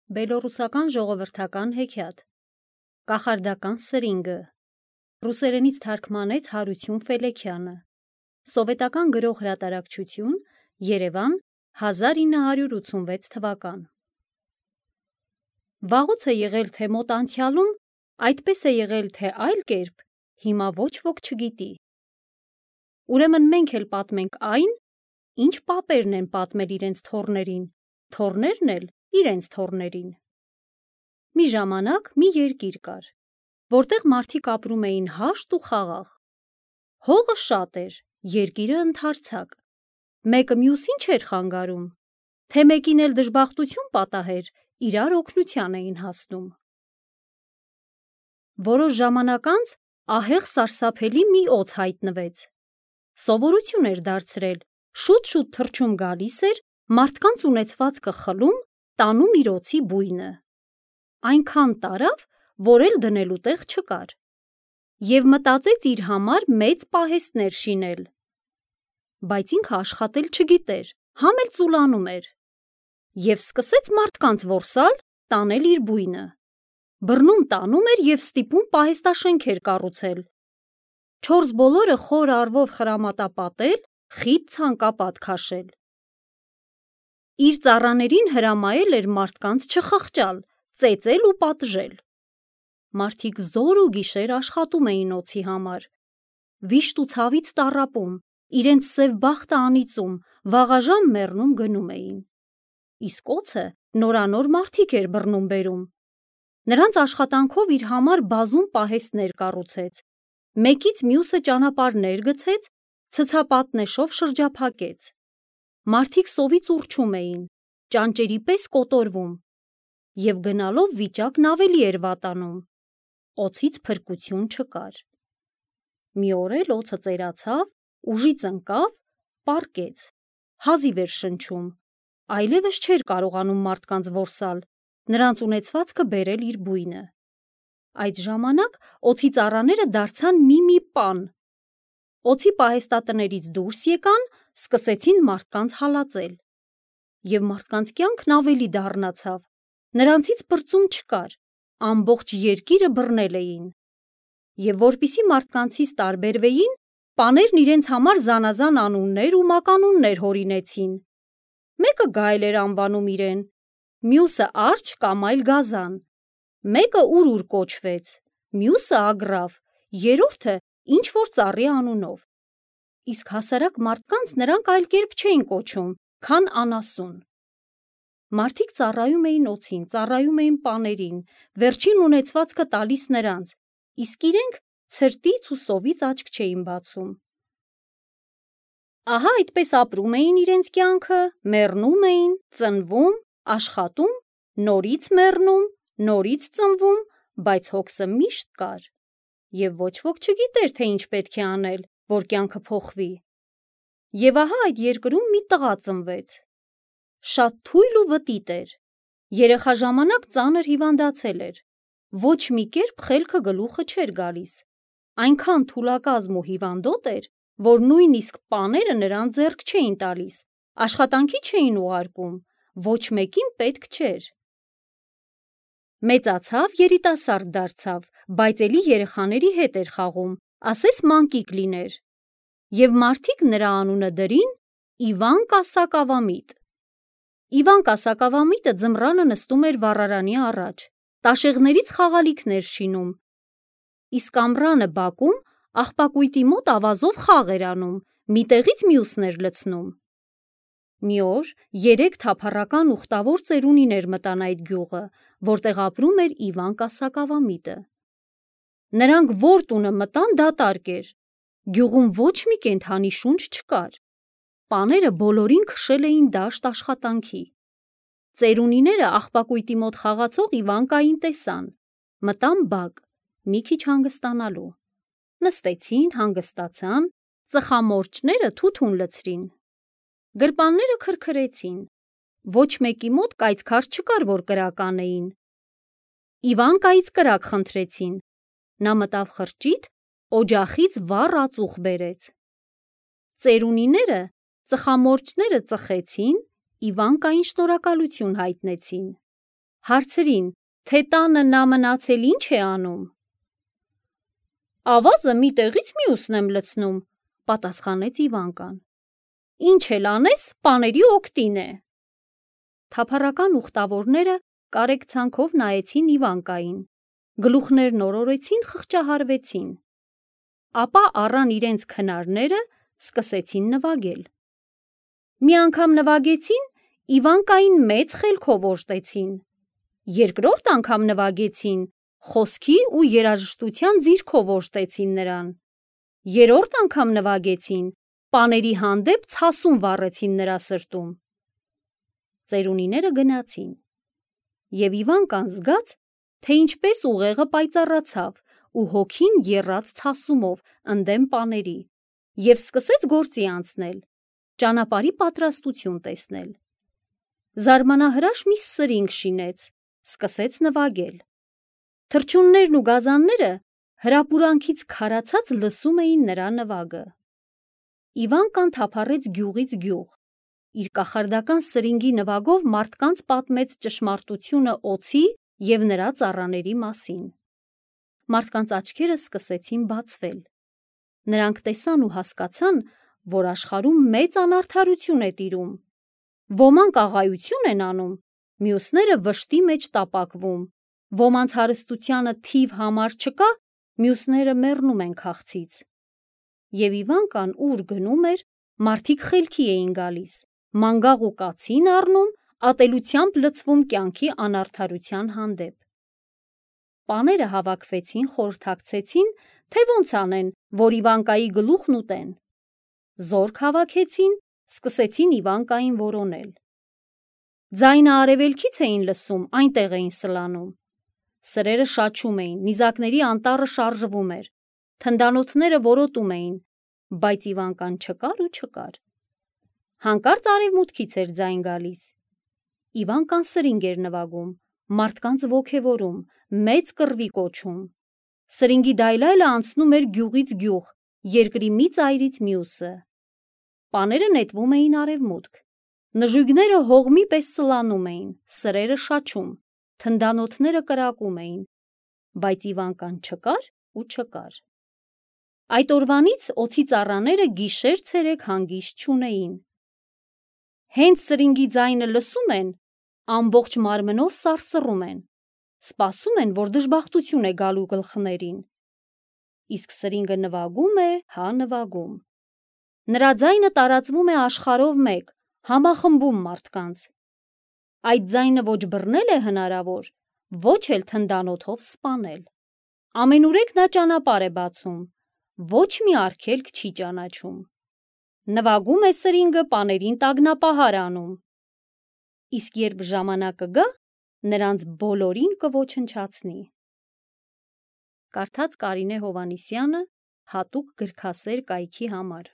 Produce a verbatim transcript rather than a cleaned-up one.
Բելոռուսական ժողովրդական հեքիաթ, կախարդական սրինգը, ռուսերենից թարգմանեց Հարություն Ֆելեքյանը, սովետական գրող հրատարակչություն, Երևան, հազար ինը հարյուր ութսունվեց թվական։ Վաղուց է եղել, թե մոտ անցյալում, այդպես է եղել, թե այլ կերպ, հիմա ոչ ոք չգիտի։ Ուրեմն մենք էլ պատմենք այն, ինչ պապերն են պատմել իրենց թոռներին, թոռներն էլ իրենց թոռներին։ Մի ժամանակ մի երկիր կար, որտեղ մարդիկ ապրում էին հաշտ ու խաղաղ։ Հողը շատ էր, երկիրը ընդարձակ, մեկը մյուսին չէր խանգարում, թե մեկին էլ դժբախտություն պատահեր, իրար օգնության էին հասնում։ Որոշ ժամանակ անց ահեղ սարսափելի մի օձ հայտնվեց։ Սովորություն էր դարձրել, շուտ-շուտ թռչում գալիս էր, մարդկանց ունեցվածքը խլում, տանում իր օձի բույնը։ Այնքան տարավ, որ էլ դնելու տեղ չկար, և մտածեց իր համար մեծ պահեստներ շինել։ Բայց ինքը աշխատել չգիտեր, համ էլ ծուլանում էր, և սկսեց մարդկանց որսալ, տանել իր բույնը։ Բռնում տանում էր և ստիպում պահեստաշենքեր կառուցել, չորս բոլորը խոր առվով խրամատապատել, խիտ ցանկապատ քաշել։ Իր ծառաներին հրամայել էր մարդկանց չխղճալ, ծեծել ու պատժել։ Մարդիկ զօր ու գիշեր աշխատում էին օձի համար, վիշտ ու ցավից տառապում, իրենց սև բախտը անիծում, վաղաժամ մեռնում գնում էին։ Իսկ օձը նորանոր մարդիկ էր բռնում բերում։ Նրանց աշխատանքով իր համար բազում պահեստներ կառուցեց, մեկից մյուսը ճանապարհներ գցեց, ցցապատնեշով շրջափակեց։ Մարդիկ սովից ուռչում էին, ճանճերի պես կոտորվում, և գնալով վիճակն ավելի էր վատանում, օձից փրկություն չկար։ Մի օր էլ օձը ծերացավ, ուժից ընկավ, պառկեց, հազիվ էր շնչում, այլևս չէր կարողանում մարդկանց որսալ, նրանց ունեցվածքը բերել իր բույնը։ Այդ ժամանակ օձի ծառաները դարձան մի-մի պան։ Օձի պահեստատներից դուրս եկան, սկսեցին մարդկանց հալածել։ Եվ մարդկանց կյանքն ավելի դառնացավ, նրանցից պրծում չկար, ամբողջ երկիրը բռնել էին։ Եվ որպեսզի մարդկանցից տարբերվեին, պաներն իրենց համար զանազան անուններ ու մականուններ հորինեցին։ Մեկը Գայլ էր անվանում իրեն, մյուսը Արջը կամ այլ գազան, մեկը Ուրուր կոչվեց, մյուսը Ագրավ, երրորդը ինչ-որ ծառի անունով։ Իսկ հասարակ մարդկանց նրանք այլ կերպ չէին կոչում, քան անասուն։ Մարդիկ ծառայում էին օձին, ծառայում էին պաներին, վերջին ունեցվածքը տալիս նրանց, իսկ իրենք ցրտից ու սովից աչք չէին բացում։ Ահա այդպես ապրում էին իրենց կյանքը, մեռնում էին, ծնվում, աշխատում, նորից մեռնում, նորից ծնվում, բայց հոգսը միշտ կար, և ոչ ոք չգիտեր, թե ինչ պետք է անել, որ կյանքը փոխվի։ Եվ ահա այդ երկրում մի տղա ծնվեց։ Շատ թույլ ու վտիտ էր, երեխա ժամանակ ծանր հիվանդացել էր, ոչ մի կերպ խելքը գլուխը չէր գալիս, այնքան թուլակազմ ու հիվանդոտ էր, որ նույնիսկ պաները նրան ձեռք չէին տալիս, աշխատանքի չէին ուղարկում, ոչ մեկին պետք չէր։ Մեծացավ, երիտասարդ դարձավ, բայց էլի երեխաների հետ էր խաղում, ասես մանկիկ լիներ, և մարդիկ նրա անունը դրին Իվան Կասակավամիտ։ Իվան Կասակավամիտը ձմռանը նստում էր վառարանի առաջ, տաշեղներից խաղալիքներ շինում, իսկ ամռանը բակում աղբակույտի մոտ ավազով խաղ էր անում, մի տեղից մյուսն էր լցնում։ Մի օր երեք թափառական ուխտավոր ծերունիներ մտան այդ գյուղը, որտեղ ապրում էր Իվան Կասակավամիտը։ Նրանք որ տունը մտան, դատարկ էր, գյուղում ոչ մի կենդանի շունչ չկար, պաները բոլորին քշել էին դաշտ աշխատանքի։ Ծերունիները աղբակույտի մոտ խաղացող Իվանկային տեսան, մտան բակ, մի քիչ հանգստանալու։ Նստեցին, հանգստացան, ծխամորճները թութուն լցրին։ Գրպանները քրքրեցին, ոչ մեկի մոտ կայծքար չկար, որ կրակ անեին։ Իվանկայից կրակ խնդրեցին, նա մտավ խրճիթ, օջախից վառ ածուխ բերեց։ Ծերունիները ծխամորճները ծխեցին, Իվանկային շնորհակալություն հայտնեցին։ Հարցրին, թե տանը նա մնացել ինչ է անում։ Ավազը մի տեղից մյուսն եմ լցնում, պատասխանեց Իվանկան։ Ինչ էլ անես, պաների օգտին է։ Թափառական ուխտավորները կարեկցանքով նայեցին Իվանկային, գլուխներն օրորեցին, խղճահարվեցին։ Ապա առան իրենց քնարները, սկսեցին նվագել։ Մի անգամ նվագեցին, Իվանկային մեծ խելքով օժտեցին։ Երկրորդ անգամ նվագեցին, խոսքի ու երաժշտության ձիրքով օժտեցին նրան։ Երրորդ անգամ նվագեցին, պաների հանդեպ ցասում վառեցին նրա սրտում։ Ծերունիները գնացին, և Իվանկան զգաց, թե ինչպես ուղեղը պայծառացավ ու հոգին եռաց ցասումով ընդդեմ պաների, և սկսեց գործի անցնել, ճանապարհի պատրաստություն տեսնել։ Զարմանահրաշ մի սրինգ շինեց, սկսեց նվագել։ Թռչուններն ու գազանները հրապուրանքից քարացած լսում էին նրա նվագը։ Իվանկան թափառեց գյուղից գյուղ, իր կախարդական սրինգի նվագով մարդկանց պատմեց ճշմարտությունը օձի և նրա ծառաների մասին։ Մարդկանց աչքերը սկսեցին բացվել։ Նրանք տեսան ու հասկացան, որ աշխարհում մեծ անարդարություն է տիրում։ Ոմանք աղայություն են անում, մյուսները վշտի մեջ տապակվում, ոմանց հարստությանը թիվ համար չկա, մյուսները մեռնում են քաղցից։ Եվ Իվանկան ուր գնում էր, մարդիկ խելքի էին գալիս, մանգաղ ու կացին առնում, ատելությամբ լցվում կյանքի անարդարության հանդեպ։ Պաները հավաքվեցին, խորհրդակցեցին, թե ոնց անեն, որ Իվանկայի գլուխն ուտեն։ Զորք հավաքեցին, սկսեցին Իվանկային որոնել։ Ձայնը արևելքից էին լսում, այնտեղ էին սլանում։ Սրերը շաչում էին, նիզակների անտառը շարժվում էր, թնդանոթները որոտում էին, բայց Իվանկան չկար ու չկար։ Հանկարծ արևմուտքից էր ձայն գալիս։ Իվանկան սրինգ էր նվագում, մարդկանց ոգևորում, մեծ կռվի կոչում։ Սրինգի դայլայլը անցնում էր գյուղից գյուղ, երկրի մի ծայրից մյուսը։ Պաները նետվում էին արևմուտք։ Նժույգները հողմի պես սլանում էին, սրերը շաչում, թնդանոթները կրակում էին, բայց Իվանկան չկար ու չկար։ Այդ օրվանից օձի ծառաները գիշեր-ցերեկ հանգիստ չունեին։ Հենց սրինգի ձայնը լսում են, ամբողջ մարմնով սարսռում են, սպասում են, որ դժբախտություն է գալու գլխներին։ Իսկ սրինգը նվագում է, հա նվագում։ Նրա ձայնը տարածվում է աշխարհով մեկ, համախմբում մարդկանց։ Այդ ձայնը ոչ բռնել է հնարավոր, ոչ էլ թնդանոթով սպանել։ Ամենուրեք նա ճանապարհ է բացում, ոչ մի արգելք չի ճանաչում։ Նվագում է սրինգը, պաներին տագնապահար անում։ Իսկ երբ ժամանակը գա, նրանց բոլորին կոչնչացնի։ Կարդաց Կարինե Հովհաննիսյանը հատուկ գրքասեր կայքի համար։